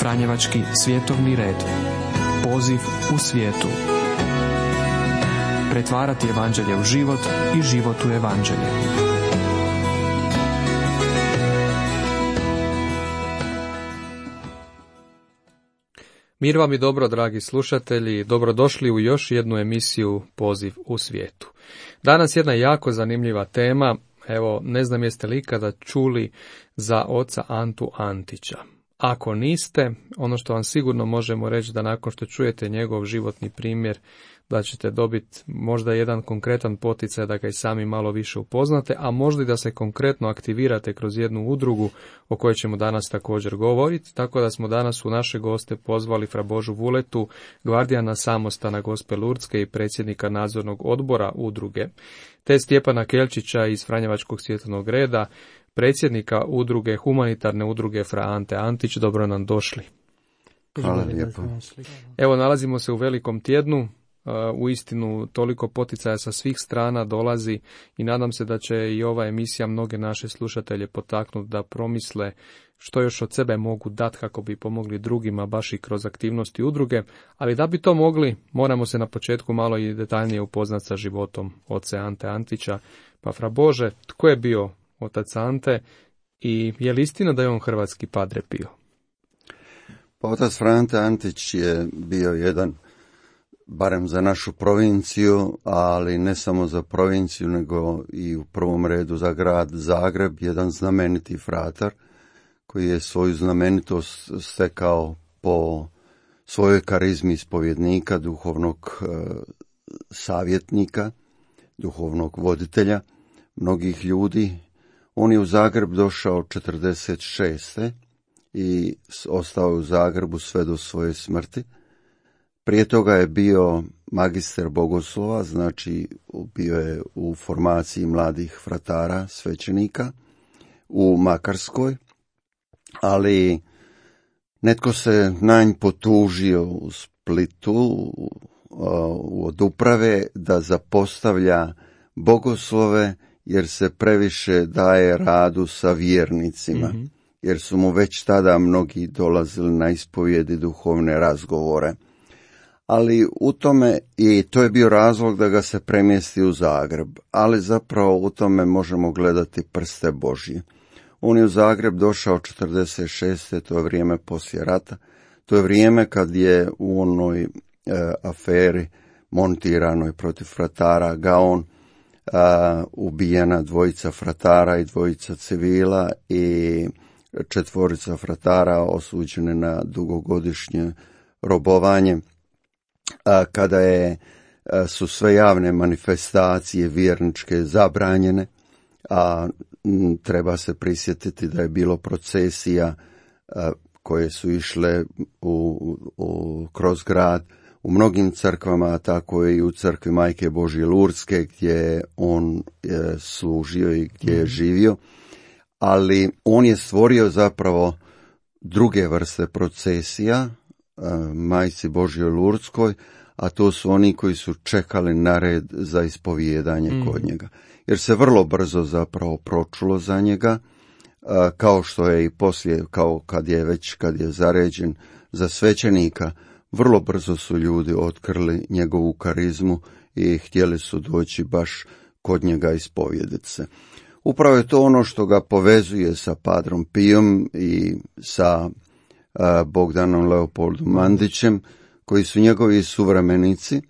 Franjevački svjetovni red. Poziv u svijetu. Pretvarati evanđelje u život i život u evanđelje. Mir vam i dobro, dragi slušatelji, dobrodošli u još jednu emisiju Poziv u svijetu. Danas jedna jako zanimljiva tema. Evo, ne znam jeste li ikada čuli za oca Antu Antića. Ako niste, ono što vam sigurno možemo reći da nakon što čujete njegov životni primjer, da ćete dobiti možda jedan konkretan poticaj da ga i sami malo više upoznate, a možda i da se konkretno aktivirate kroz jednu udrugu o kojoj ćemo danas također govoriti. Tako da smo danas u naše goste pozvali fra Božu Vuletu, gvardijana samostana Gospe Lurdske i predsjednika nadzornog odbora udruge, te Stjepana Kelčića iz Franjevačkog svjetovnog reda, predsjednika udruge, humanitarne udruge fra Ante Antić. Dobro nam došli. Hvala lijepo. Evo, nalazimo se u velikom tjednu. Uistinu toliko poticaja sa svih strana dolazi i nadam se da će i ova emisija mnoge naše slušatelje potaknuti da promisle što još od sebe mogu dati kako bi pomogli drugima baš i kroz aktivnosti udruge, ali da bi to mogli moramo se na početku malo i detaljnije upoznati sa životom oca Ante Antića. Pa fra Bože, tko je bio otac Ante i je li istina da je on hrvatski Padre Pio? Pa otac Ante Antić je bio jedan, barem za našu provinciju, ali ne samo za provinciju, nego i u prvom redu za grad Zagreb, jedan znameniti fratar koji je svoju znamenitost stekao po svojoj karizmi ispovjednika, duhovnog savjetnika, duhovnog voditelja mnogih ljudi. On je u Zagreb došao 46. i ostao je u Zagrebu sve do svoje smrti. Prije toga je bio magister bogoslova, znači bio je u formaciji mladih fratara, svećenika u Makarskoj, ali netko se na nj potužio u Splitu od uprave da zapostavlja bogoslove jer se previše daje radu sa vjernicima, jer su mu već tada mnogi dolazili na ispovjedi, duhovne razgovore. Ali u tome, i to je bio razlog da ga se premjesti u Zagreb, ali zapravo u tome možemo gledati prste Božje. On je u Zagreb došao 46. to je vrijeme poslije rata, to je vrijeme kad je u onoj aferi montiranoj protiv fratara Gaon ubijena dvojica fratara i dvojica civila i 4 fratara osuđene na dugogodišnje robovanje. Kada su sve javne manifestacije vjerničke zabranjene, a treba se prisjetiti da je bilo procesija koje su išle kroz grad u mnogim crkvama, a tako i u crkvi Majke Božje Lurdske gdje on služio i gdje je živio, ali on je stvorio zapravo druge vrste procesija Majci Božjoj Lurdskoj, a to su oni koji su čekali na red za ispovijedanje kod njega. Jer se vrlo brzo zapravo pročulo za njega, kao što je i poslije, kao kad je zaređen za svećenika, vrlo brzo su ljudi otkrili njegovu karizmu i htjeli su doći baš kod njega ispovijediti se. Upravo je to ono što ga povezuje sa Padrom Pijom i sa Bogdanom Leopoldom Mandićem, koji su njegovi suvremenici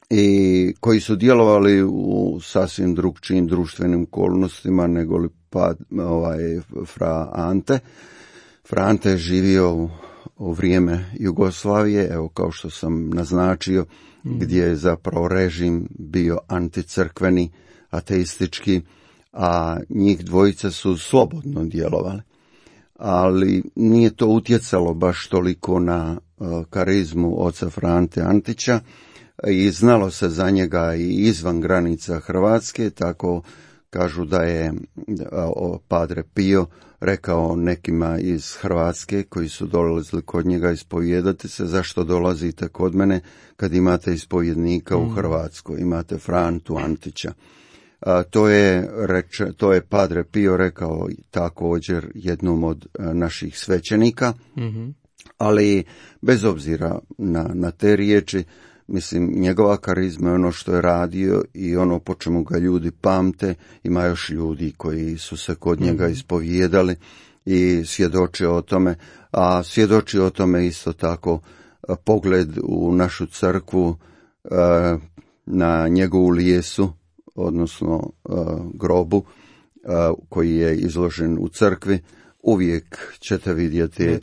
i koji su djelovali u sasvim drugčijim društvenim okolnostima nego li fra Ante. Fra Ante je živio u vrijeme Jugoslavije, evo kao što sam naznačio, gdje je zapravo režim bio anticrkveni, ateistički, a njih dvojica su slobodno djelovali. Ali nije to utjecalo baš toliko na karizmu oca Ante Antića i znalo se za njega i izvan granica Hrvatske, tako kažu da je Padre Pio rekao nekima iz Hrvatske koji su dolazili kod njega ispovijedati se, zašto dolazite kod mene kad imate ispovjednika u Hrvatskoj, imate Frantu Antića. To je Padre Pio rekao također jednom od naših svećenika, Ali bez obzira na te riječi, mislim, njegova karizma je ono što je radio i ono po čemu ga ljudi pamte. Ima još ljudi koji su se kod njega ispovijedali i svjedoče o tome, a svjedoči o tome isto tako pogled u našu crkvu na njegovu lijesu, odnosno grobu koji je izložen u crkvi. Uvijek ćete vidjeti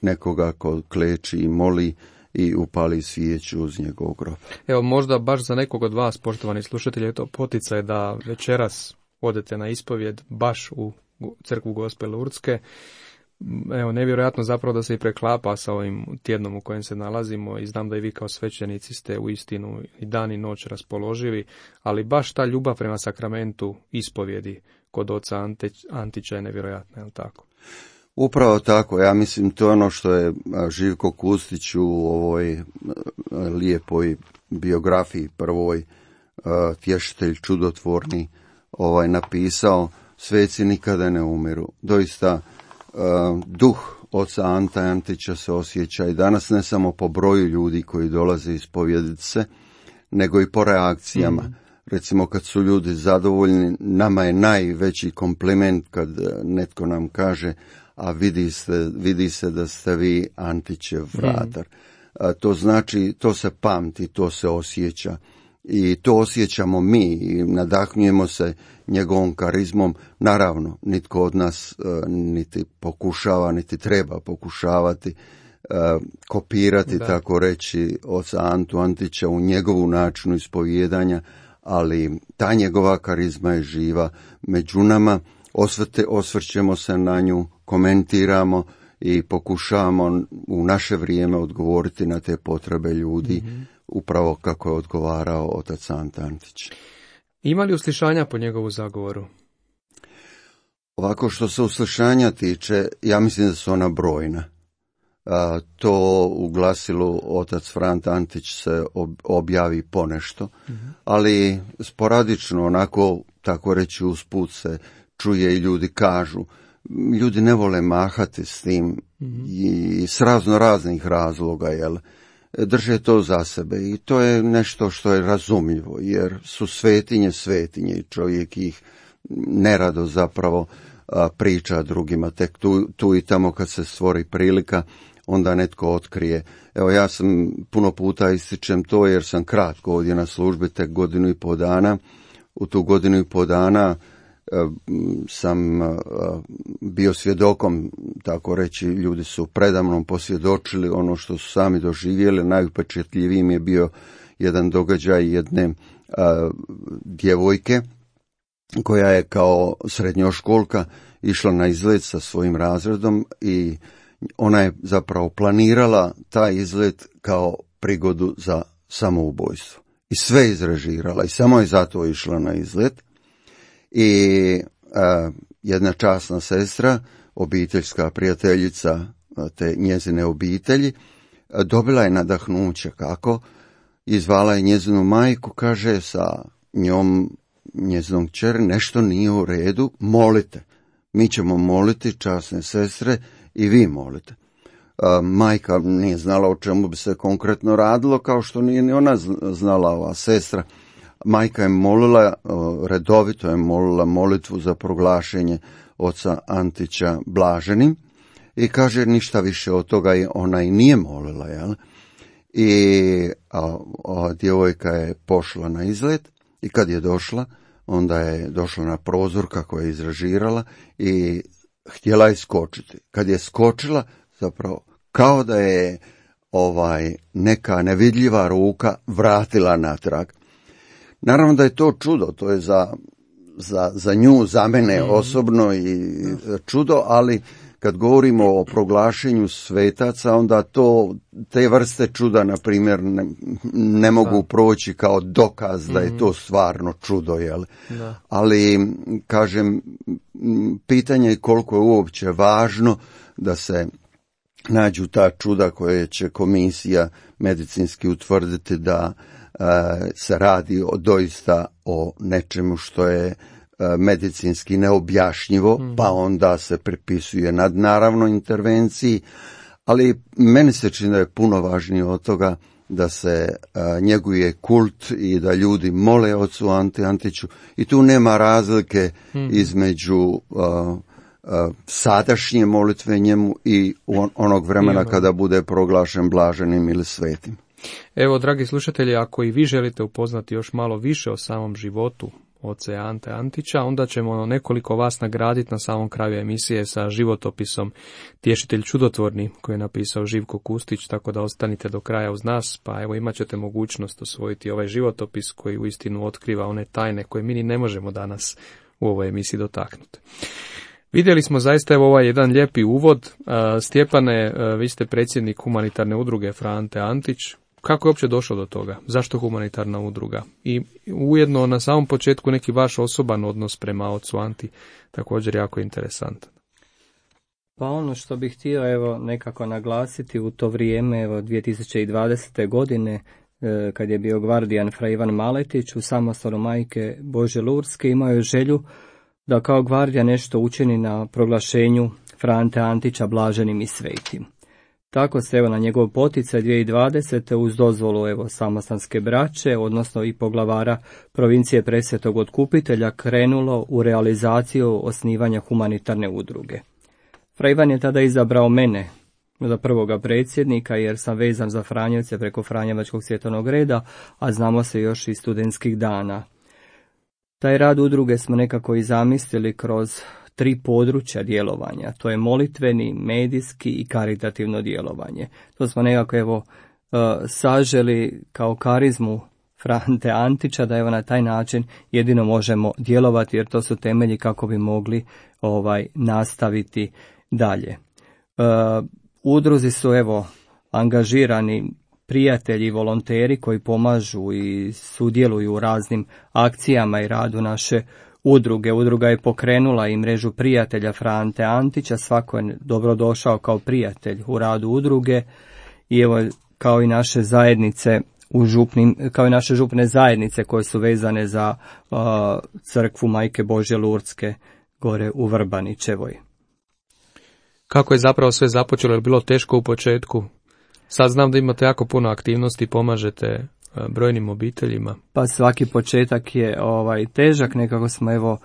nekoga ko kleči i moli i upali svijeću uz njegov grob. Evo, možda baš za nekog od vas, poštovani slušatelji, je to poticaj da večeras odete na ispovjed baš u crkvu Gospe Lurdske. Evo, nevjerojatno zapravo da se i preklapa sa ovim tjednom u kojem se nalazimo i znam da i vi kao svećenici ste u istinu i dan i noć raspoloživi, ali baš ta ljubav prema sakramentu ispovjedi kod oca Antića je nevjerojatna, je li tako? Upravo tako, ja mislim to je ono što je Živko Kustić u ovoj lijepoj biografiji prvoj, Tješitelj čudotvorni, napisao, sveci nikada ne umiru. Doista duh oca Anta Antića se osjeća i danas ne samo po broju ljudi koji dolaze ispovjediti se, nego i po reakcijama. Recimo kad su ljudi zadovoljni, nama je najveći kompliment kad netko nam kaže, a vidi se da ste vi Antićev vratar. To znači, to se pamti, to se osjeća. I to osjećamo mi i nadahnjujemo se njegovom karizmom. Naravno, nitko od nas niti pokušava, niti treba pokušavati kopirati, tako reći, oca Antu Antića u njegovu načinu ispovijedanja, ali ta njegova karizma je živa među nama. Osvrćemo se na nju, komentiramo i pokušavamo u naše vrijeme odgovoriti na te potrebe ljudi, upravo kako je odgovarao otac Anta Antić. Ima li uslišanja po njegovu zagovoru? Ovako, što se uslišanja tiče, ja mislim da su ona brojna. To u glasilu otac Frant Antić se objavi ponešto, ali sporadično, onako, tako reći, usput se čuje i ljudi kažu. Ljudi ne vole mahati s tim i s raznih razloga, jel? Drže to za sebe i to je nešto što je razumljivo, jer su svetinje i čovjek ih nerado zapravo priča drugima, tek tu i tamo kad se stvori prilika, onda netko otkrije. Evo, ja sam puno puta ističem to jer sam kratko ovdje na službi, tek 1.5 godina. U tu 1.5 godina sam bio svjedokom, tako reći, ljudi su predamnom posvjedočili ono što su sami doživjeli. Najupečetljivijim je bio jedan događaj jedne djevojke koja je kao srednjoškolka išla na izlet sa svojim razredom i ona je zapravo planirala taj izlet kao prigodu za samoubojstvo. I sve izrežirala i samo je zato išla na izlet. I jedna časna sestra, obiteljska prijateljica te njezine obitelji, dobila je nadahnuće kako, izvala je njezinu majku, kaže sa njom, njezinom kćeri, nešto nije u redu, molite. Mi ćemo moliti, časne sestre, i vi molite. Majka nije znala o čemu bi se konkretno radilo, kao što nije ni ona znala, ova sestra. Majka je molila, redovito je molila molitvu za proglašenje oca Antića blaženim i kaže ništa više od toga ona i nije molila, jel? I djevojka je pošla na izlet i kad je došla, onda je došla na prozor kako je izrežirala i htjela je skočiti. Kad je skočila, zapravo kao da je neka nevidljiva ruka vratila natrag. Naravno da je to čudo, to je za nju, za mene osobno i čudo, ali kad govorimo o proglašenju svetaca, onda te vrste čuda, na primjer, ne mogu proći kao dokaz da je to stvarno čudo, jel? Da. Ali, kažem, pitanje je koliko je uopće važno da se nađu ta čuda koje će komisija medicinski utvrditi da se radi doista o nečemu što je medicinski neobjašnjivo, pa onda se pripisuje nadnaravnoj intervenciji, Ali meni se čini da je puno važnije od toga da se njeguje kult i da ljudi mole ocu Anti Antiću i tu nema razlike između sadašnje molitve njemu i onog vremena kada bude proglašen blaženim ili svetim. Evo, dragi slušatelji, ako i vi želite upoznati još malo više o samom životu oce Ante Antića, onda ćemo nekoliko vas nagraditi na samom kraju emisije sa životopisom Tješitelj čudotvorni koji je napisao Živko Kustić, tako da ostanite do kraja uz nas, pa evo imat ćete mogućnost osvojiti ovaj životopis koji uistinu otkriva one tajne koje mi ni ne možemo danas u ovoj emisiji dotaknuti. Vidjeli smo zaista evo ovaj jedan lijepi uvod. Stjepane, vi ste predsjednik humanitarne udruge Fra Ante Antić. Kako je uopće došlo do toga? Zašto humanitarna udruga? I ujedno na samom početku neki vaš osoban odnos prema ocu Anti, također jako interesantan. Pa ono što bih htio evo nekako naglasiti u to vrijeme, evo 2020. godine, kad je bio gvardijan Fra Ivan Maletić u samostanu Majke Božje Lurske, imao je želju da kao gvardija nešto učini na proglašenju Fra Ante Antića blaženim i svetim. Tako se evo na njegov poticaj 2020. uz dozvolu evo samostanske braće, odnosno i poglavara provincije Presvetog Otkupitelja, krenulo u realizaciju osnivanja humanitarne udruge. Fra Ivan je tada izabrao mene za prvoga predsjednika jer sam vezan za Franjevce preko Franjevačkog svjetovnog reda, a znamo se još iz studentskih dana. Taj rad udruge smo nekako i zamislili kroz 3 područja djelovanja, to je molitveni, medijski i karitativno djelovanje. To smo nekako evo saželi kao karizmu Fra Ante Antića, da evo na taj način jedino možemo djelovati, jer to su temelji kako bi mogli nastaviti dalje. U udruzi su evo angažirani prijatelji i volonteri koji pomažu i sudjeluju u raznim akcijama i radu naše udruge. Udruga je pokrenula i mrežu prijatelja Fra Ante Antića, svako je dobrodošao kao prijatelj u radu udruge i evo kao i naše zajednice kao i naše župne zajednice koje su vezane za crkvu Majke Božje Lurdske gore u Vrbanićevoj. Kako je zapravo sve započelo? Je bilo teško u početku? Sad znam da imate jako puno aktivnosti i pomažete brojnim obiteljima. Pa svaki početak je težak, nekako smo evo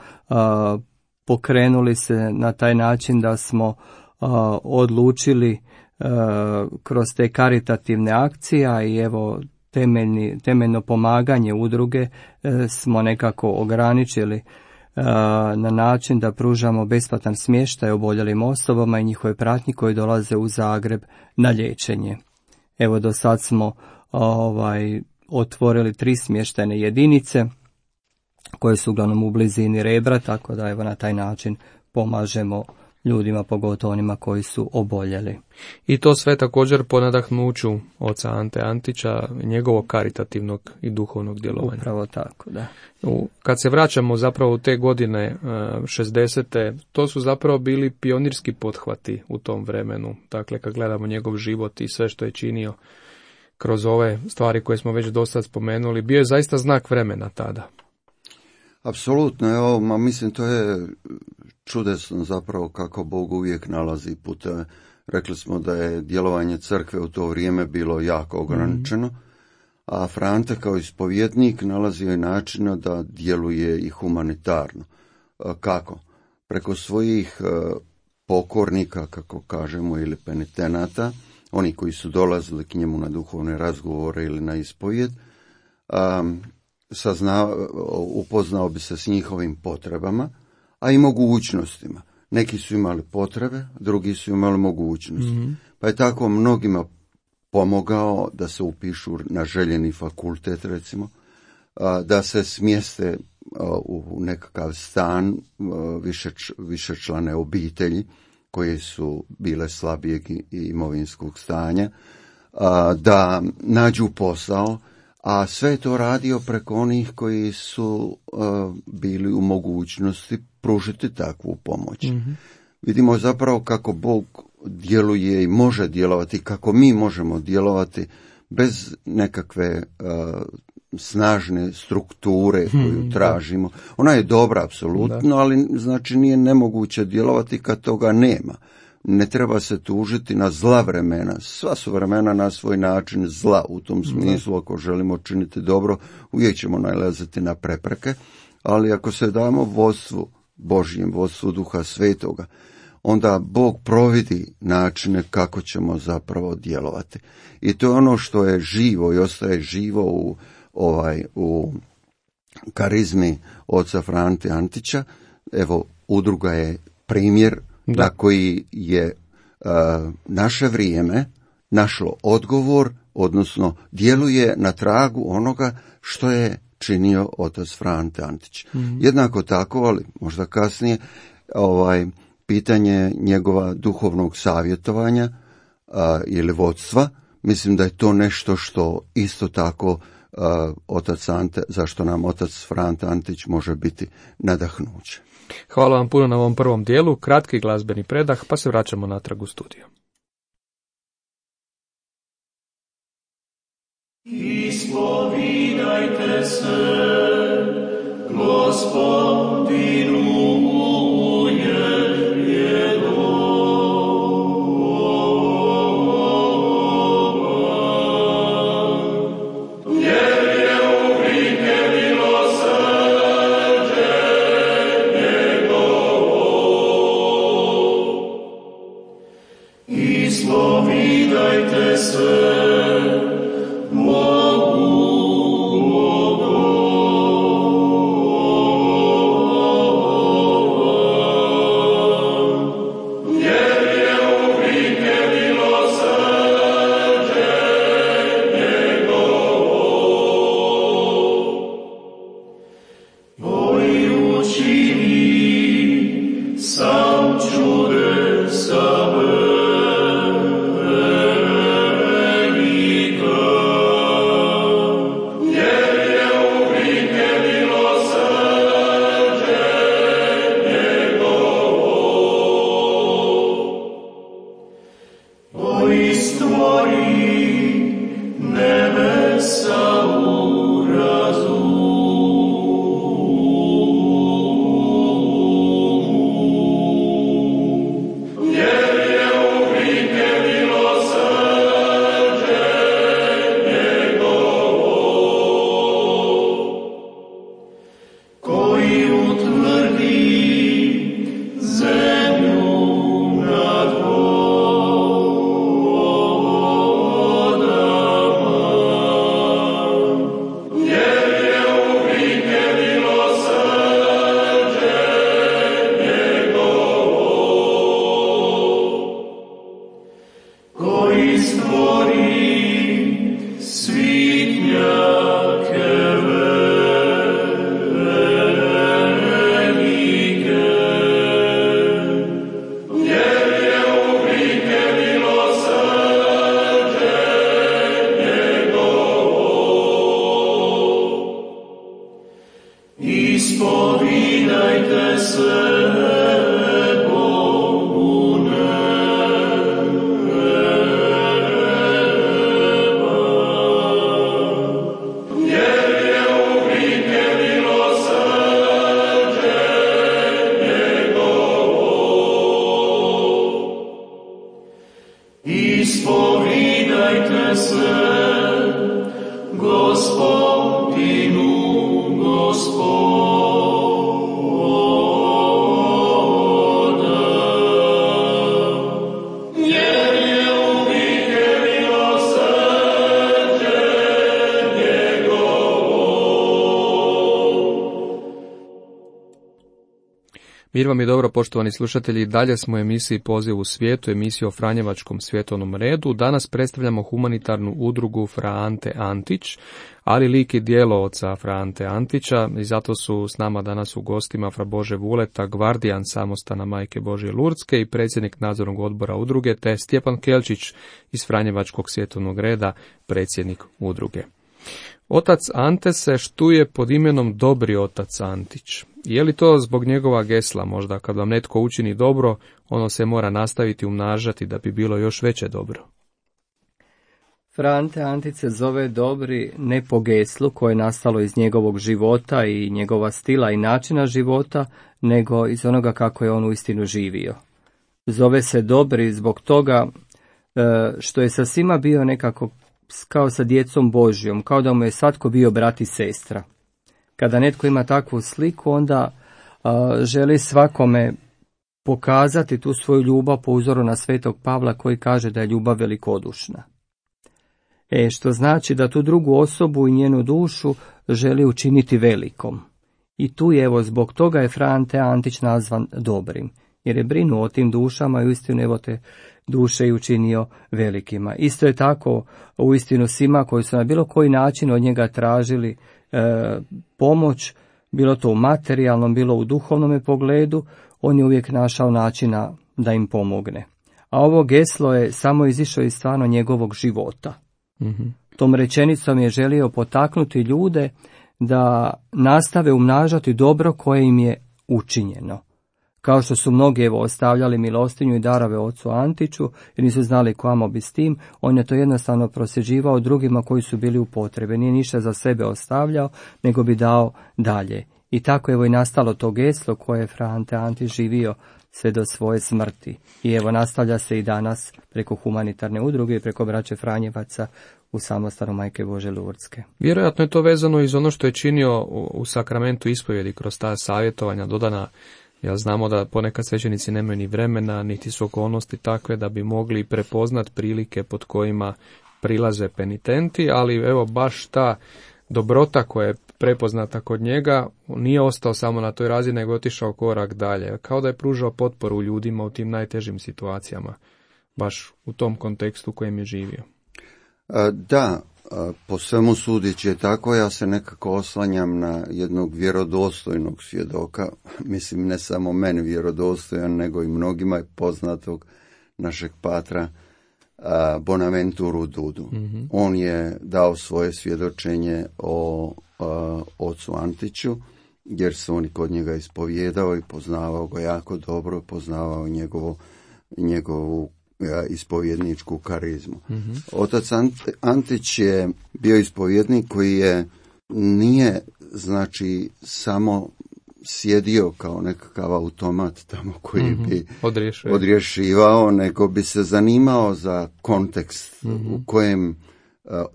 pokrenuli se na taj način da smo odlučili kroz te karitativne akcije i evo temeljno pomaganje udruge smo nekako ograničili na način da pružamo besplatan smještaj oboljelim osobama i njihove pratnji koji dolaze u Zagreb na liječenje. Evo do sad smo otvorili 3 smještajne jedinice koje su uglavnom u blizini Rebra, tako da evo na taj način pomažemo ljudima, pogotovo onima koji su oboljeli. I to sve također po nadahnuću oca Ante Antića, njegovog karitativnog i duhovnog djelovanja. Upravo tako, da. Kad se vraćamo zapravo u te godine 60. to su zapravo bili pionirski pothvati u tom vremenu. Dakle, kad gledamo njegov život i sve što je činio kroz ove stvari koje smo već dosad spomenuli, bio je zaista znak vremena tada. Apsolutno, evo, mislim to je čudesno zapravo kako Bog uvijek nalazi puteve. Rekli smo da je djelovanje crkve u to vrijeme bilo jako ograničeno, a Fra Ante kao ispovjednik nalazio je načina da djeluje i humanitarno. Kako? Preko svojih pokornika, kako kažemo, ili penitenata, oni koji su dolazili k njemu na duhovne razgovore ili na ispovjed, upoznao bi se s njihovim potrebama, a i mogućnostima. Neki su imali potrebe, drugi su imali mogućnosti. Pa je tako mnogima pomogao da se upišu na željeni fakultet, recimo, da se smjeste u nekakav stan višečlane obitelji koje su bile slabijeg imovinskog stanja, da nađu posao, a sve to radio preko onih koji su bili u mogućnosti pružiti takvu pomoć. Vidimo zapravo kako Bog djeluje i može djelovati, kako mi možemo djelovati bez nekakve snažne strukture koju tražimo. Ona je dobra apsolutno, ali znači nije nemoguće djelovati kad toga nema. ne treba se tužiti na zla vremena. Sva su vremena na svoj način zla, u tom smislu, ako želimo činiti dobro, uvijek ćemo nailaziti na prepreke, ali ako se damo vodstvu Božjem, vodstvu Duha Svetoga, onda Bog providi načine kako ćemo zapravo djelovati. I to je ono što je živo i ostaje živo u karizmi oca Frante Antića. Evo, udruga je primjer na koji je naše vrijeme našlo odgovor, odnosno djeluje na tragu onoga što je činio otac Frante Antić. Jednako tako, ali možda kasnije, pitanje njegova duhovnog savjetovanja ili vodstva, mislim da je to nešto što isto tako otac Ante, zašto nam otac Frante Antić može biti nadahnuće. Hvala vam puno na ovom prvom dijelu, kratki glazbeni predah, pa se vraćamo natrag u studiju. Ispovidajte se Gospodinu Ispovidajte se Ispovidajte se Bogu neba, jer je uvijek milosrđe njegovo. Ispovidajte se Gospodinu, Mir vam je dobro, poštovani slušatelji, dalje smo u emisiji Poziv u svijetu, emisiju o Franjevačkom svjetovnom redu. Danas predstavljamo humanitarnu udrugu Fra Ante Antić, ali lik i djelo oca Fra Ante Antića, i zato su s nama danas u gostima Fra Bože Vuleta, gvardijan samostana Majke Božje Lurdske i predsjednik nadzornog odbora udruge, te Stjepan Kelčić iz Franjevačkog svjetovnog reda, predsjednik udruge. Otac Ante se štuje pod imenom Dobri otac Antić. Je li to zbog njegova gesla, možda kad vam netko učini dobro, ono se mora nastaviti umnažati da bi bilo još veće dobro? Fra Ante Antić se zove Dobri ne po geslu koje je nastalo iz njegovog života i njegova stila i načina života, nego iz onoga kako je on uistinu živio. zove se dobri zbog toga što je sa svima bio nekako kao sa djecom Božjom, kao da mu je svatko bio brat i sestra. Kada netko ima takvu sliku, onda želi svakome pokazati tu svoju ljubav po uzoru na svetog Pavla koji kaže da je ljubav velikodušna. Što znači da tu drugu osobu i njenu dušu želi učiniti velikom. I tu je, evo, zbog toga je Fra Ante Antić nazvan dobrim, jer je brinuo o tim dušama i uistinu evo te duše i učinio velikima. Isto je tako uistinu svima koji su na bilo koji način od njega tražili pomoć, bilo to u materijalnom, bilo u duhovnom pogledu, on je uvijek našao načina da im pomogne. A ovo geslo je samo izišlo iz stvarno njegovog života. Mm-hmm. Tom rečenicom je želio potaknuti ljude da nastave umnažati dobro koje im je učinjeno. Kao što su mnogi ostavljali milostinju i darove ocu Antiću, jer nisu znali kamo bi s tim, on je to jednostavno prosjeđivao drugima koji su bili u potrebe. Nije ništa za sebe ostavljao, nego bi dao dalje. I tako i nastalo to geslo koje je Fra Ante Antić živio sve do svoje smrti. I nastavlja se i danas preko humanitarne udruge i preko braće Franjevaca u samostanu Majke Božje Lurdske. Vjerojatno je to vezano iz ono što je činio u sakramentu ispovjedi kroz ta savjetovanja dodana. Ja znamo da ponekad svećenici nemaju ni vremena, niti su okolnosti takve da bi mogli prepoznat prilike pod kojima prilaze penitenti, ali evo baš ta dobrota koja je prepoznata kod njega nije ostao samo na toj razini, nego otišao korak dalje, kao da je pružao potporu ljudima u tim najtežim situacijama, baš u tom kontekstu u kojem je živio. Da, po svemu sudeći je tako, ja se nekako oslanjam na jednog vjerodostojnog svjedoka, mislim ne samo meni vjerodostojan, nego i mnogima je poznatog našeg patra Bonaventuru Dudu. Mm-hmm. On je dao svoje svjedočenje o ocu Antiću, jer se on kod njega ispovijedao i poznavao ga jako dobro, poznavao njegovu ispovjedničku karizmu. Mm-hmm. Otac Antić je bio ispovjednik koji nije znači samo sjedio kao nekakav automat tamo koji bi odrješivao, nego bi se zanimao za kontekst u kojem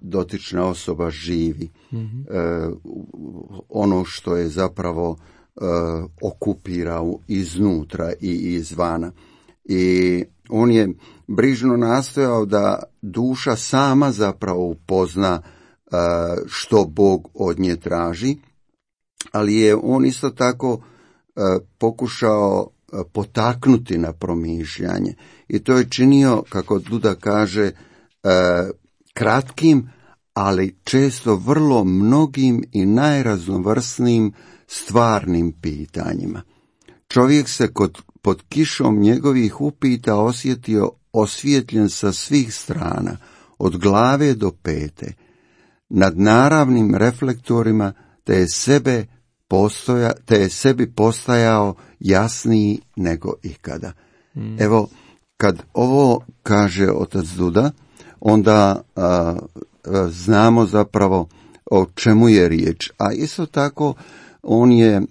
dotična osoba živi. Ono što je zapravo okupira iznutra i izvana. I on je brižno nastojao da duša sama zapravo upozna što Bog od nje traži, ali je on isto tako pokušao potaknuti na promišljanje. I to je činio, kako Duda kaže, kratkim, ali često vrlo mnogim i najraznovrsnijim stvarnim pitanjima. Čovjek se pod kišom njegovih upita osjetio osvjetljen sa svih strana, od glave do pete, nad naravnim reflektorima, te je sebi postajao jasniji nego ikada. Evo, kad ovo kaže otac Duda, onda znamo zapravo o čemu je riječ. A isto tako on je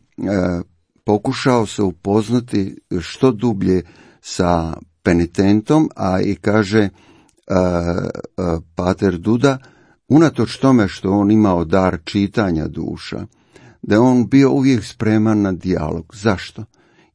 pokušao se upoznati što dublje sa penitentom, a i kaže pater Duda, unatoč tome što on imao dar čitanja duša, da je on bio uvijek spreman na dijalog. Zašto?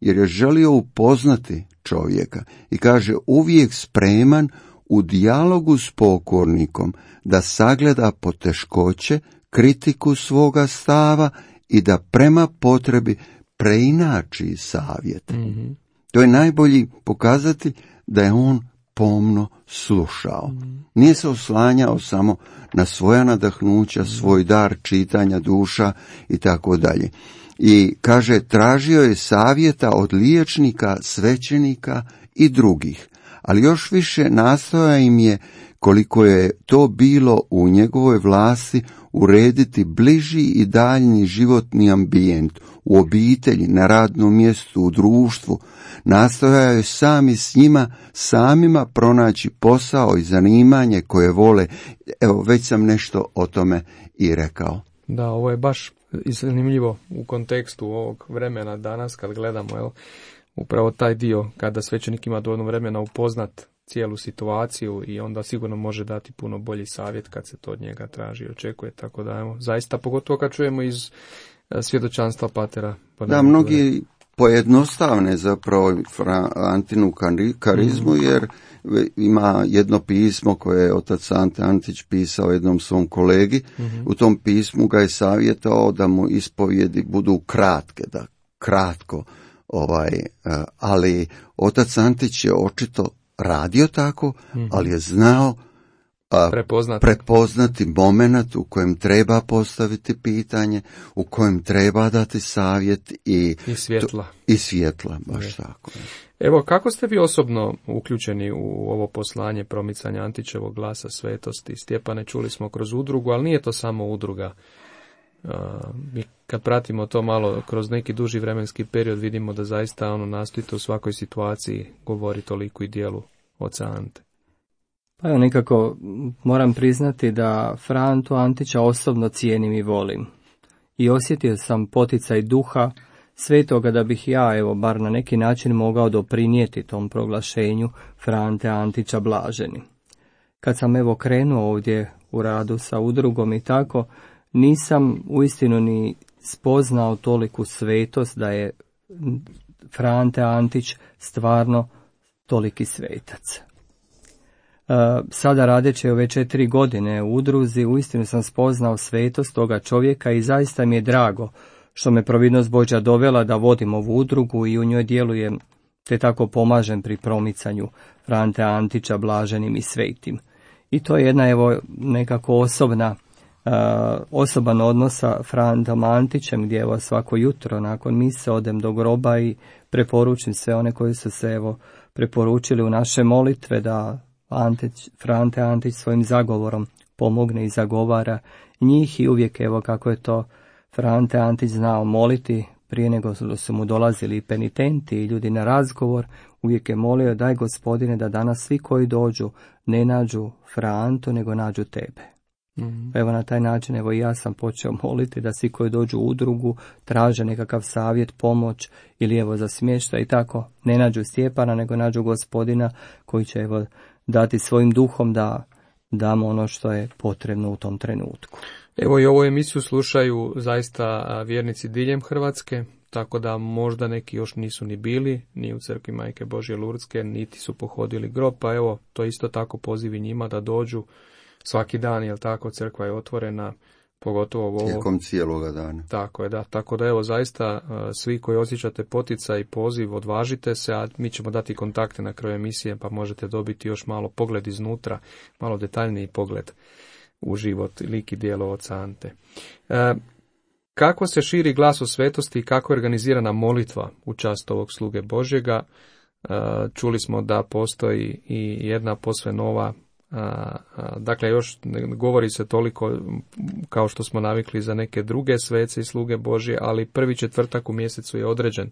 Jer je želio upoznati čovjeka i kaže uvijek spreman u dijalogu s pokornikom da sagleda poteškoće, kritiku svoga stava i da prema potrebi preinači savjete. Mm-hmm. To je najbolji pokazati da je on pomno slušao. Nije se oslanjao samo na svoja nadahnuća, svoj dar čitanja duša i tako dalje. I kaže, tražio je savjeta od liječnika, svećenika i drugih, ali još više nastojao im je, koliko je to bilo u njegovoj vlasti, urediti bliži i daljnji životni ambijent u obitelji, na radnom mjestu, u društvu. Nastojao je sami s njima samima pronaći posao i zanimanje koje vole. Evo, već sam nešto o tome i rekao. Da, ovo je baš zanimljivo u kontekstu ovog vremena danas kad gledamo upravo taj dio kada svećenik ima dovoljno vremena upoznat cijelu situaciju i onda sigurno može dati puno bolji savjet kad se to od njega traži i očekuje. Tako da, evo, zaista, pogotovo kad čujemo iz svjedočanstva patera. Da, mnogi pojednostavne zapravo Antinu karizmu, jer ima jedno pismo koje je otac Ante Antić pisao jednom svom kolegi. U tom pismu ga je savjetao da mu ispovjedi budu kratke, da kratko, ali otac Antić je očito radio tako, ali je znao prepoznati moment u kojem treba postaviti pitanje, u kojem treba dati savjet i svjetla, baš tako. Evo, kako ste vi osobno uključeni u ovo poslanje promicanja Antićevog glasa svetosti? Stjepane, čuli smo kroz udrugu, ali nije to samo udruga. Mi kad pratimo to malo kroz neki duži vremenski period, vidimo da zaista nastojite u svakoj situaciji govori toliko i dijelu oca Ante. Pa evo, nekako moram priznati da Frantu Antića osobno cijenim i volim. I osjetio sam poticaj duha svetoga da bih ja, evo, bar na neki način mogao doprinijeti tom proglašenju Frante Antića blaženim. Kad sam evo krenuo ovdje u radu sa udrugom i tako, nisam uistinu ni spoznao toliku svetost da je Frante Antić stvarno toliki svetac. Sada radeći ove 4 godine u udruzi, uistinu sam spoznao svetost toga čovjeka i zaista mi je drago što me providnost Božja dovela da vodim ovu udrugu i u njoj djelujem, te tako pomažem pri promicanju Frante Antića blaženim i svetim. I to je jedna evo nekako osoban odnos sa Frantom Antićem, gdje evo svako jutro nakon mise odem do groba i preporučim sve one koji su se evo preporučili u naše molitve da Frante Antić svojim zagovorom pomogne i zagovara njih i uvijek evo kako je to Frante Antić znao moliti prije nego su mu dolazili penitenti i ljudi na razgovor, uvijek je molio daj Gospodine da danas svi koji dođu ne nađu Frantu nego nađu tebe. Evo na taj način evo i ja sam počeo moliti da svi koji dođu u udrugu traže nekakav savjet, pomoć ili evo za smještaj i tako ne nađu Stjepana nego nađu Gospodina koji će evo dati svojim duhom da damo ono što je potrebno u tom trenutku. Evo i ovu emisiju slušaju zaista vjernici diljem Hrvatske, tako da možda neki još nisu ni bili, ni u crkvi Majke Božje Lurdske, niti su pohodili grob, pa evo to isto tako pozivi njima da dođu svaki dan, jel tako, crkva je otvorena, pogotovo ovo tijekom cijeloga dana. Tako je, da. Tako da evo zaista svi koji osjećate poticaj i poziv, odvažite se, a mi ćemo dati kontakte na kraju emisije, pa možete dobiti još malo pogled iznutra, malo detaljniji pogled u život, lik i djelo oca Ante. Kako se širi glas o svetosti i kako je organizirana molitva u čast ovog sluge Božjega? Čuli smo da postoji i jedna posve nova, dakle još ne govori se toliko kao što smo navikli za neke druge svece i sluge Božje, ali prvi četvrtak u mjesecu je određen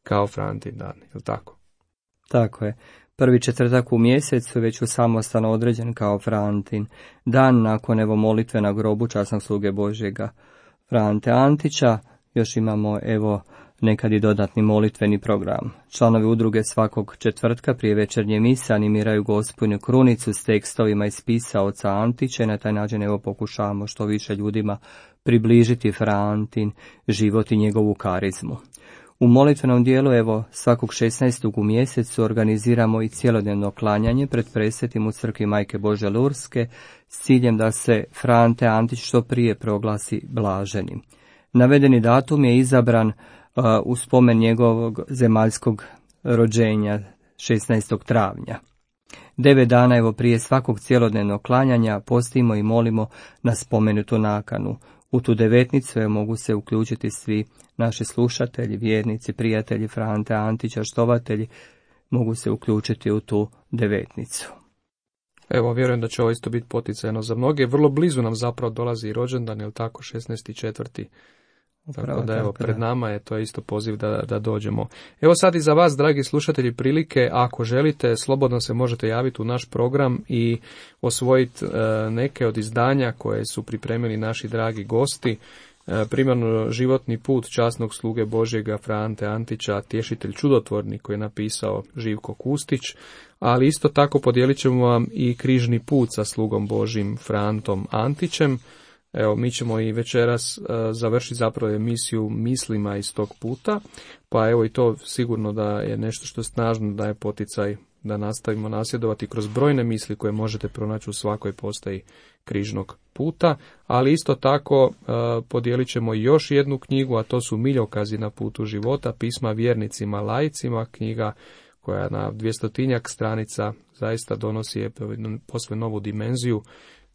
kao Frantin dan, je li tako? Tako je. Prvi četvrtak u mjesecu već u samostalno određen kao Frantin dan nakon evo molitve na grobu časnog sluge Božjega Frante Antića. Još imamo evo nekad i dodatni molitveni program. Članovi udruge svakog četvrtka prije večernje mise animiraju Gospodnju krunicu s tekstovima iz spisa oca Antića i na taj način evo pokušavamo što više ljudima približiti Frantin život i njegovu karizmu. U molitvenom dijelu evo svakog 16. u mjesecu organiziramo i cjelodnevno klanjanje pred presvetim u crkvi Majke Božje Lurdske s ciljem da se Frante Antić što prije proglasi blaženim. Navedeni datum je izabran u spomen njegovog zemaljskog rođenja 16. travnja. 9 dana evo prije svakog cjelodnevnog klanjanja postimo i molimo na spomenutu nakanu. U tu devetnicu mogu se uključiti svi naši slušatelji, vjernici, prijatelji Frante Antića, štovatelji, mogu se uključiti u tu devetnicu. Evo, vjerujem da će ovo isto biti poticajno za mnoge. Vrlo blizu nam zapravo dolazi i rođendan, je li tako, 16.4. Tako da evo, pred nama je to isto poziv da dođemo. Evo sad i za vas, dragi slušatelji, prilike, ako želite, slobodno se možete javiti u naš program i osvojiti neke od izdanja koje su pripremili naši dragi gosti. primarno životni put časnog sluge Božjega Fra Ante Antića, Tješitelj čudotvorni, koji je napisao Živko Kustić, ali isto tako podijelit ćemo vam i križni put sa slugom Božjim Fra Antom Antićem. Evo, mi ćemo i večeras završiti zapravo emisiju mislima iz tog puta, pa evo i to sigurno da je nešto što snažno daje poticaj da nastavimo nasljedovati kroz brojne misli koje možete pronaći u svakoj postaji križnog puta, ali isto tako podijelit ćemo još jednu knjigu, a to su Miljokazi na putu života, pisma vjernicima, laicima, knjiga koja na 200 stranica zaista donosi posve novu dimenziju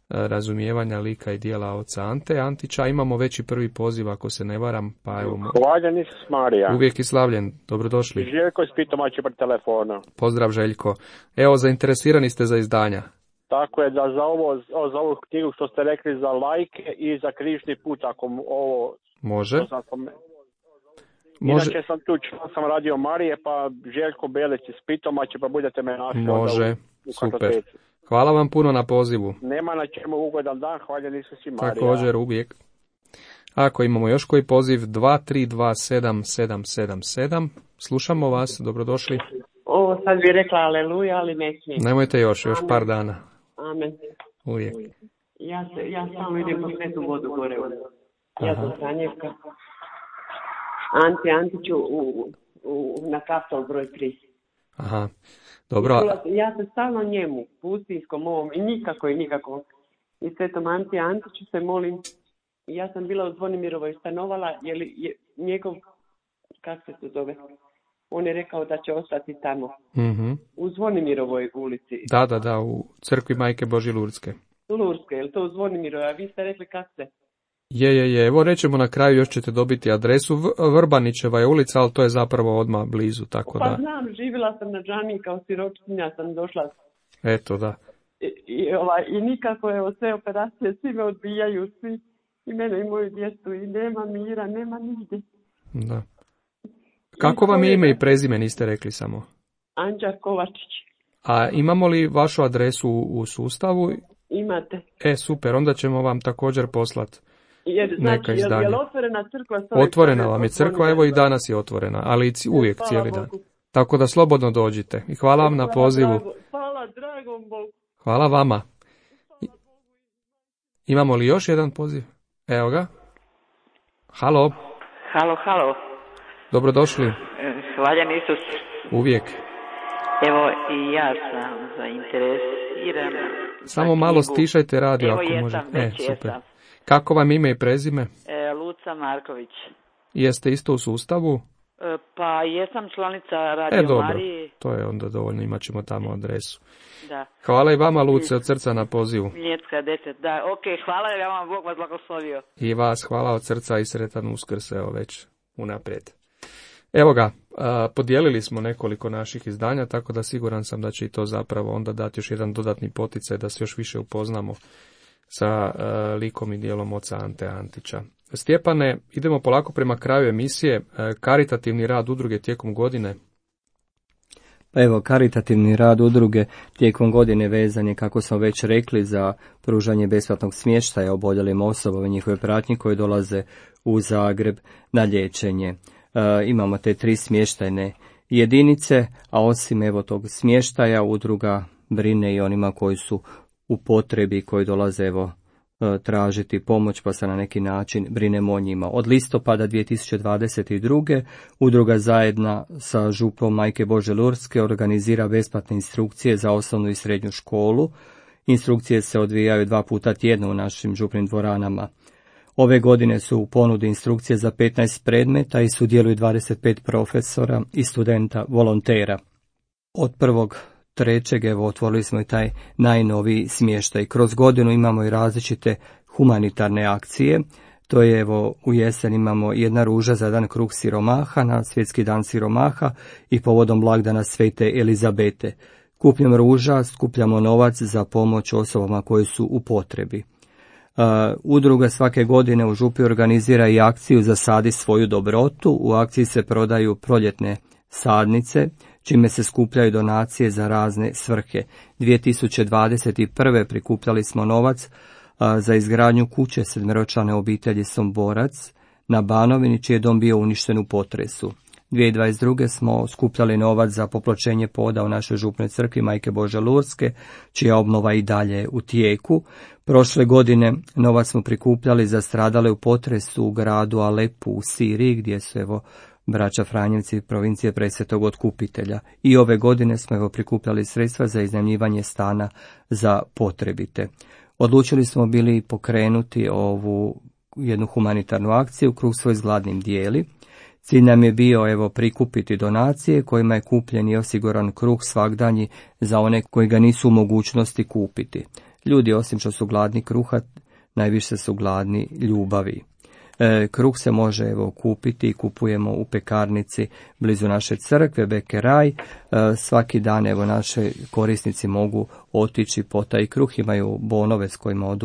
razumijevanja lika i dijela oca Ante Antića. Imamo već i prvi poziv, ako se ne varam, pa evo... Hvaljen Isus Marija. Uvijek i slavljen, dobrodošli. Željko iz Pitomače pred telefona. Pozdrav Željko. Evo, zainteresirani ste za izdanja. Tako je, da za ovu knjigu što ste rekli za lajke i za križni put, ako ovo... Može. Inače sam tu, sam radio Marije, pa Željko Belec iz Pitomače, pa budete me našli. Može, super. Hvala vam puno na pozivu. Nema na čemu, ugodan dan, hvaljen Isus i Marija. Također, uvijek. Ako imamo još koji poziv, 2327777, slušamo vas, dobrodošli. Ovo sad bi rekla aleluja, ali ne smijem. Nemojte još par dana. Amen. Uvijek. Ja samo idem po svetu vodu gore. Ja sam Franjevka. Ante Antiću na Kaptol broj 3. Aha, dobro. Ja se stalno njemu, pustinskom ovom, i nikako. I svetom Ante Antiću se molim. Ja sam bila u Zvonimirovoj stanovala, jer je njegov, kako se to zove, on je rekao da će ostati tamo. Mm-hmm. U Zvonimirovoj ulici. Da, u crkvi Majke Božje Lurdske. Lurdske, je li to u Zvonimirovoj, a vi ste rekli kako se? Je, evo rećemo na kraju, još ćete dobiti adresu, Vrbanićeva je ulica, ali to je zapravo odmah blizu, tako da... Pa znam, živjela sam na džamiji kao siročkinja, sam došla. Eto, da. I nikako, evo, sve operacije, svi me odbijaju, svi, i mene i moju djecu, i nema mira, nema nigdje. Da. Kako vam je ime i prezime, niste rekli samo? Anđa Kovačić. A imamo li vašu adresu u sustavu? Imate. Super, onda ćemo vam također poslati neka izdanja. Je li otvorena crkva? Otvorena vam je crkva, evo i danas je otvorena, ali uvijek cijeli dan. Tako da slobodno dođite. I hvala vam na pozivu. Hvala dragom Bogu. Hvala vama. Imamo li još jedan poziv? Evo ga. Halo. Halo. Dobrodošli. Hvaljen Isus. Uvijek. Evo i ja sam zainteresirana. Samo malo stišajte radio ako može. Super. Kako vam ime i prezime? Luca Marković. Jeste isto u sustavu? Pa jesam članica Radio dobro. Marije. To je onda dovoljno, imat ćemo tamo adresu. Da. Hvala i vama, Luce, od srca na pozivu. Miljetska 10, da, hvala i vam, Bog vas blagoslovio. I vas, hvala od srca i sretan Uskrs, evo već unaprijed. Evo ga, podijelili smo nekoliko naših izdanja, tako da siguran sam da će i to zapravo onda dati još jedan dodatni poticaj da se još više upoznamo sa likom i dijelom oca Ante Antića. Stjepane, idemo polako prema kraju emisije. Karitativni rad udruge tijekom godine. Pa evo, karitativni rad udruge tijekom godine vezan je, kako smo već rekli, za pružanje besplatnog smještaja oboljelim osobama i njihove pratnje koje dolaze u Zagreb na liječenje. Imamo te 3 smještajne jedinice, a osim evo tog smještaja udruga brine i onima koji su u potrebi, koji dolaze evo tražiti pomoć, pa se na neki način brinemo o njima. Od listopada 2022. udruga zajedno sa župom Majke Božje Lurdske organizira besplatne instrukcije za osnovnu i srednju školu. Instrukcije se odvijaju 2 puta tjedno u našim župnim dvoranama. Ove godine su u ponudi instrukcije za 15 predmeta i sudjeluju 25 profesora i studenta volontera. Od 1.3. evo otvorili smo i taj najnoviji smještaj. Kroz godinu imamo i različite humanitarne akcije. To je evo u jesen imamo jedna ruža za dan krug siromaha na svjetski dan siromaha i povodom blagdana Svete Elizabete. Kupnjom ruža skupljamo novac za pomoć osobama koje su u potrebi. Udruga svake godine u župi organizira i akciju Zasadi svoju dobrotu. U akciji se prodaju proljetne sadnice, čime se skupljaju donacije za razne svrhe. 2021. prikupljali smo novac za izgradnju kuće sedmeročlane obitelji Somborac na Banovini, čiji je dom bio uništen u potresu. 2022. smo skupljali novac za popločenje poda u našoj župnoj crkvi Majke Božje Lurske, čija obnova i dalje u tijeku. Prošle godine novac smo prikupljali za stradale u potresu u gradu Alepu u Siriji, gdje su braća Franjevci provincije Presvetog Otkupitelja. I ove godine smo prikupljali sredstva za iznajmljivanje stana za potrebite. Odlučili smo bili pokrenuti ovu jednu humanitarnu akciju Kruh svoj s gladnim dijeli. Cilj nam je bio prikupiti donacije kojima je kupljen i osiguran kruh svagdanji za one koji ga nisu u mogućnosti kupiti. Ljudi, osim što su gladni kruha, najviše su gladni ljubavi. Kruh se može kupiti i kupujemo u pekarnici blizu naše crkve Bekeraj. Svaki dan naše korisnici mogu otići po taj kruh, imaju bonove s kojima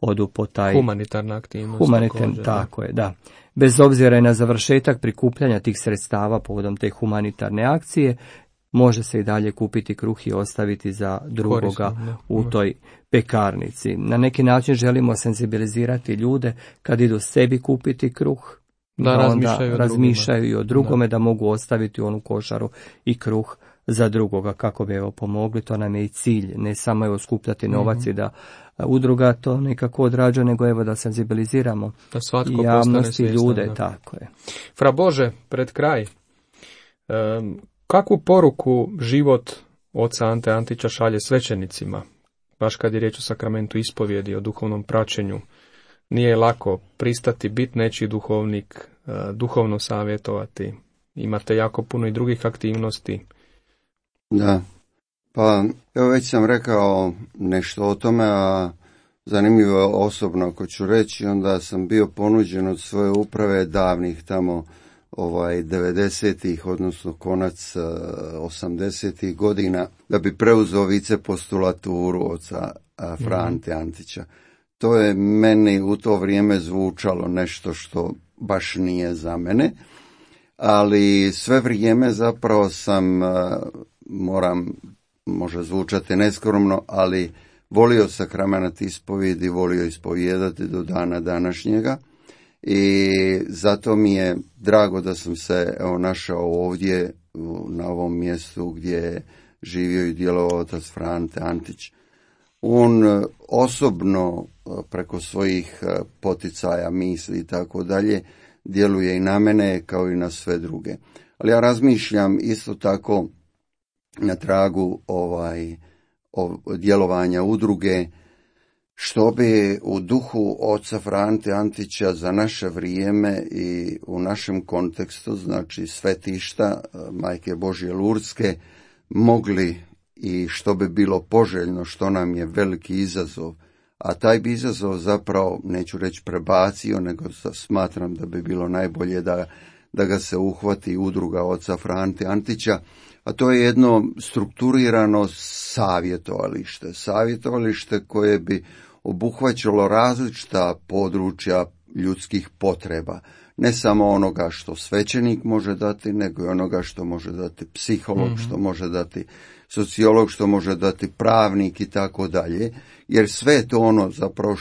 odu po taj humanitarna aktivnost. Tako je, da. Bez obzira na završetak prikupljanja tih sredstava povodom te humanitarne akcije, može se i dalje kupiti kruh i ostaviti za drugoga u toj pekarnici. Na neki način želimo senzibilizirati ljude kad idu sebi kupiti kruh, da onda razmišljaju i o drugome, da mogu ostaviti onu košaru i kruh za drugoga, kako bi pomogli. To nam je i cilj, ne samo skupljati novac i da udruga to nekako odrađuje, nego da senzibiliziramo javnosti i ljude. Tako je. Fra Bože, pred kraj, kakvu poruku život oca Ante Antića šalje svećenicima, baš kad je riječ o sakramentu ispovjedi, o duhovnom praćenju? Nije lako pristati biti nečiji duhovnik, duhovno savjetovati. Imate jako puno i drugih aktivnosti. Da, pa evo već sam rekao nešto o tome, a zanimljivo je osobno ako ću reći, onda sam bio ponuđen od svoje uprave davnih tamo 90-ih, odnosno konac 80-ih godina, da bi preuzeo vicepostulaturu oca Frante Antića. To je meni u to vrijeme zvučalo nešto što baš nije za mene, ali sve vrijeme zapravo sam, može zvučati neskromno, ali volio sakrament ispovjedi, volio ispovijedati do dana današnjega. I zato mi je drago da sam se našao ovdje na ovom mjestu gdje je živio i djelovao otac Frante Antić. On osobno preko svojih poticaja, misli i tako dalje djeluje i na mene kao i na sve druge. Ali ja razmišljam isto tako na tragu djelovanja udruge, što bi u duhu oca Frante Antića za naše vrijeme i u našem kontekstu, znači svetišta Majke Božje Lurske, mogli i što bi bilo poželjno, što nam je veliki izazov. A taj bi izazov zapravo, neću reći prebacio, nego smatram da bi bilo najbolje da ga se uhvati udruga oca Frante Antića, a to je jedno strukturirano savjetovalište koje bi obuhvaćalo različita područja ljudskih potreba. Ne samo onoga što svećenik može dati, nego i onoga što može dati psiholog, što može dati sociolog, što može dati pravnik i tako dalje. Jer sve to zapravo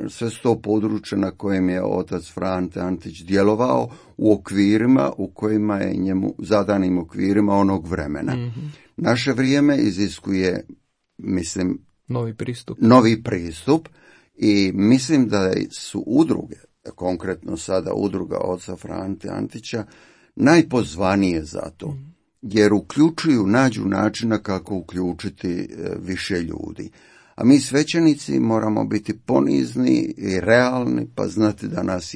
sve to područje na kojem je otac Frante Antić djelovao u okvirima u kojima je njemu zadanim okvirima onog vremena. Naše vrijeme iziskuje, mislim, novi pristup i mislim da su udruge, konkretno sada udruga oca Frante Antića, najpozvanije za to, jer nađu načina kako uključiti više ljudi. A mi svećenici moramo biti ponizni i realni, pa znati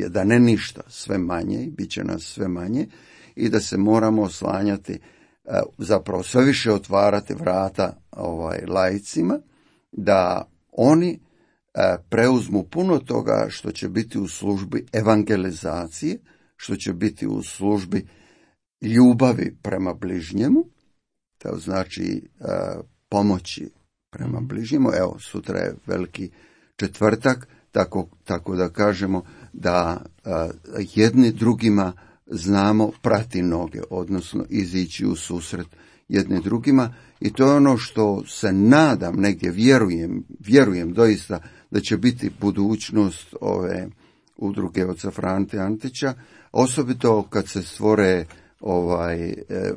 da ne ništa, sve manje i bit će nas sve manje i da se moramo oslanjati, zapravo sve više otvarati vrata laicima, da oni preuzmu puno toga što će biti u službi evangelizacije, što će biti u službi ljubavi prema bližnjemu, to znači pomoći prema bližnjemu. Evo, sutra je Veliki četvrtak, tako da kažemo da jedni drugima znamo prati noge, odnosno izići u susret jedne drugima, i to je ono što se nadam, negdje vjerujem doista da će biti budućnost ove udruge oca Frante Antića, osobito kad se stvore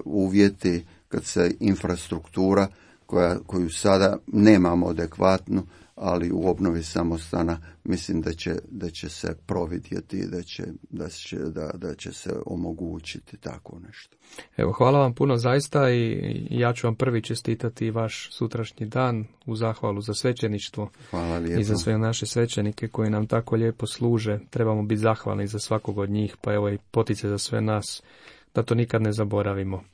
uvjeti, kad se infrastruktura koju sada nemamo adekvatnu, ali u obnovi samostana mislim da će se providjeti, da će se omogućiti tako nešto. Evo, hvala vam puno zaista, i ja ću vam prvi čestitati vaš sutrašnji dan u zahvalu za svećeništvo. Hvala lijepo. I za sve naše svećenike koji nam tako lijepo služe. Trebamo biti zahvalni za svakog od njih, pa evo i potice za sve nas da to nikad ne zaboravimo.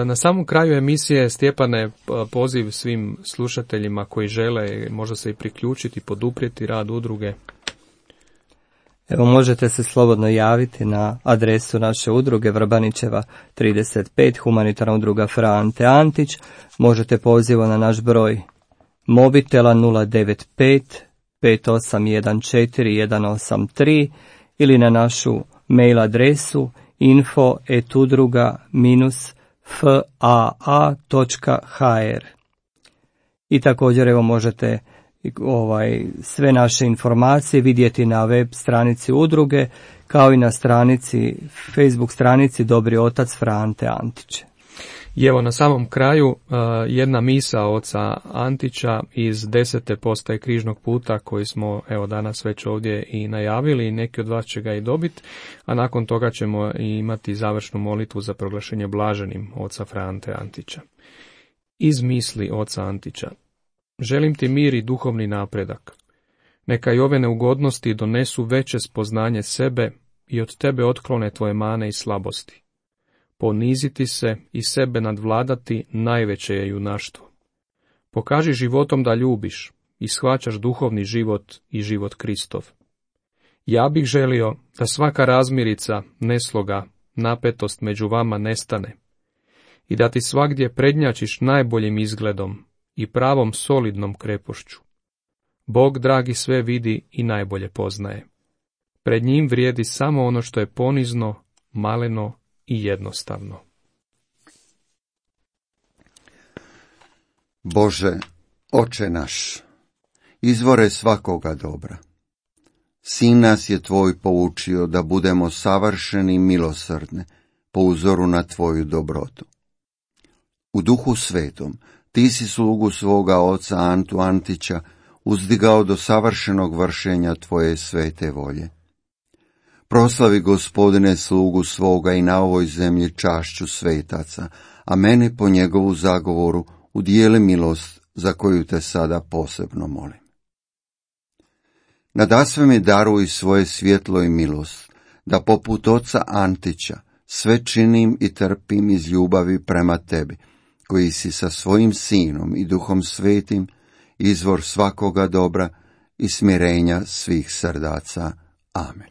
Na samom kraju emisije, Stjepane, poziv svim slušateljima koji žele možda se i priključiti, poduprijeti rad udruge. Evo, možete se slobodno javiti na adresu naše udruge Vrbanićeva 35, humanitarna udruga Frante Antić. Možete pozivom na naš broj mobitela 095 5814 183 ili na našu mail adresu info@udruga-faa.hr. I također evo možete sve naše informacije vidjeti na web stranici udruge, kao i na Facebook stranici Dobri otac Frante Antić. I evo na samom kraju jedna misa oca Antića iz 10. postaje Križnog puta koji smo evo danas već ovdje i najavili, i neki od vas će ga i dobiti, a nakon toga ćemo i imati završnu molitvu za proglašenje blaženim oca Frante Antića. Iz misli oca Antića. Želim ti mir i duhovni napredak. Neka i ove neugodnosti donesu veće spoznanje sebe i od tebe otklone tvoje mane i slabosti. Poniziti se i sebe nadvladati najveće je junaštvo. Pokaži životom da ljubiš i shvaćaš duhovni život i život Kristov. Ja bih želio da svaka razmirica, nesloga, napetost među vama nestane i da ti svagdje prednjačiš najboljim izgledom i pravom solidnom krepošću. Bog, dragi, sve vidi i najbolje poznaje. Pred njim vrijedi samo ono što je ponizno, maleno i jednostavno. Bože, Oče naš, izvore svakoga dobra, Sin nas je tvoj poučio da budemo savršeni i milosrdni po uzoru na tvoju dobrotu. U Duhu Svetom ti si slugu svoga oca Antu Antića uzdigao do savršenog vršenja tvoje svete volje. Proslavi, Gospodine, slugu svoga i na ovoj zemlji čašću svetaca, a mene po njegovu zagovoru udijeli milost za koju te sada posebno molim. Nadasve mi daruj svoje svjetlo i milost, da poput oca Antića sve činim i trpim iz ljubavi prema tebi, koji si sa svojim Sinom i Duhom Svetim izvor svakoga dobra i smirenja svih srdaca. Amen.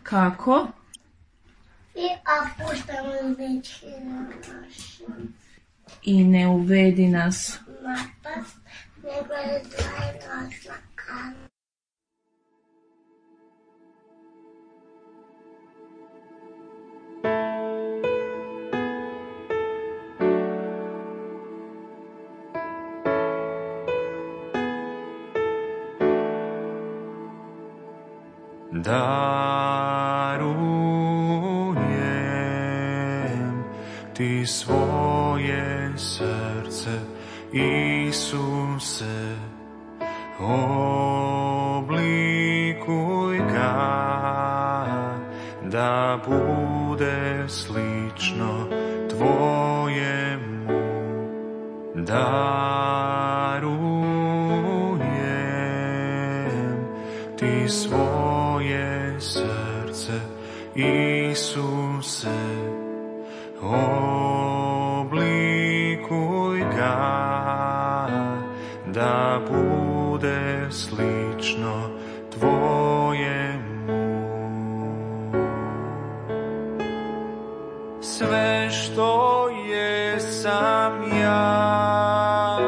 Kako? I ne uvedi nas napast, nego je zajedno slakano. Darujem ti svoje srce, Isuse, oblikuj ga, da bude slično tvojemu. Darujem ti svoje srce, Isuse, oblikuj ga, da bude slično tvojemu. Sve što jesam ja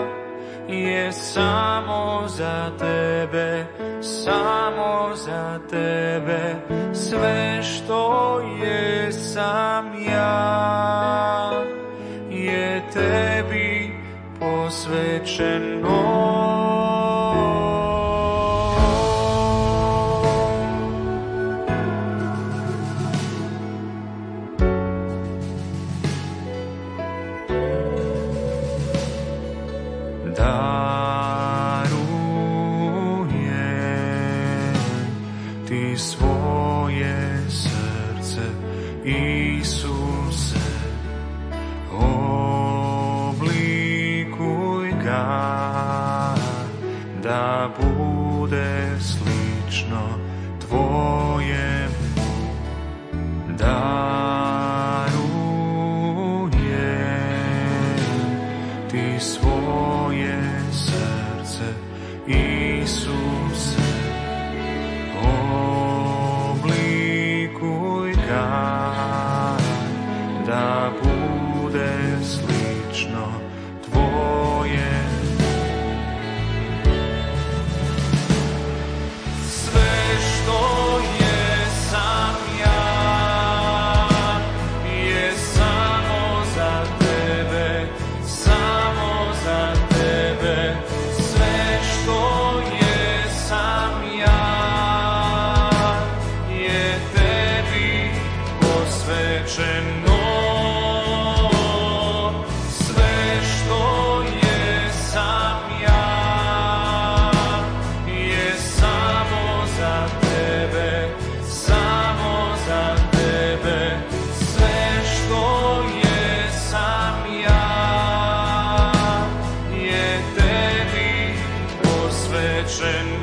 je samo za tebe, samo za tebe. Sve što jesam ja je tebi posvećeno. Darujem ti svoje srce, Isuse, oblikuj ga, da bude slično tvojemu. Darujem ti svoje srce, Isuse, oblikuj ga, da bude slično tvojemu. Sve što jesam ja je samo za tebe, samo za tebe. Sve što jesam ja je tebi posvećeno. Sve što jesam ja je samo za tebe, samo za tebe. Sve što jesam ja je tebi posvećeno.